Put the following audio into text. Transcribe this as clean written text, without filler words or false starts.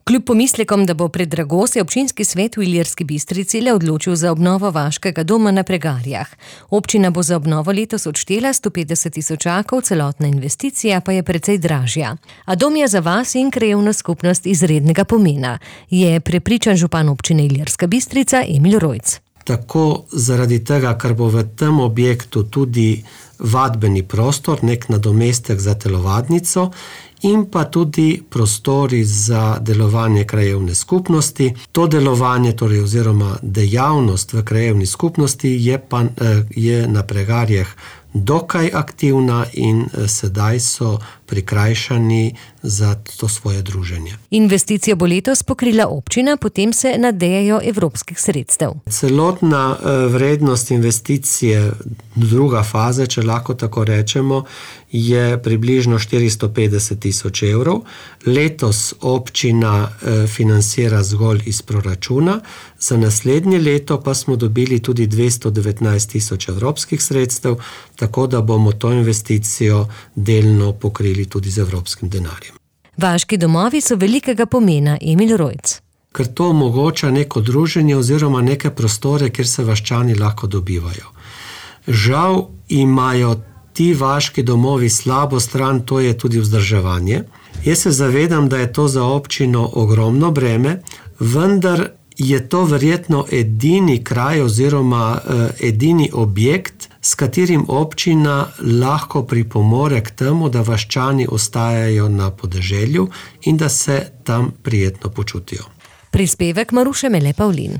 Kljub pomislekom, da bo predrago, se občinski svet v Ilirski Bistrici le odločil za obnovo vaškega doma na Pregarjah. Občina bo za obnovo letos odštela 150 000, celotna investicija pa je precej dražja. A dom je za vas in krajevno skupnost izrednega pomena, je prepričan župan občine Ilirska Bistrica Emil Rojc. Tako zaradi tega, ker bo v tem objektu tudi vadbeni prostor, nek nadomestek za telovadnico, in pa tudi prostori za delovanje krajevne skupnosti. To delovanje, torej oziroma dejavnost v krajevni skupnosti je na Pregarjah dokaj aktivna in sedaj so prikrajšani za to svoje druženje. Investicijo bo letos pokrila občina, potem se nadejajo evropskih sredstev. Celotna vrednost investicije, druga faza, če lahko tako rečemo, je približno 450 000 evrov. Letos občina financira zgolj iz proračuna, za naslednje leto pa smo dobili tudi 219 000 evropskih sredstev, tako da bomo to investicijo delno pokrili tudi z evropskim denarjem. Vaški domovi so velikega pomena, Emil Rojc. Ker to omogoča neko druženje oziroma neke prostore, kjer se vaščani lahko dobivajo. Žal imajo ti vaški domovi slabo stran, to je tudi vzdrževanje. Jaz se zavedam, da je to za občino ogromno breme, vendar je to verjetno edini kraj oziroma edini objekt, s katerim občina lahko pripomore k temu, da vaščani ostajajo na podeželju in da se tam prijetno počutijo. Prispevek Maruše Mele Pavlin.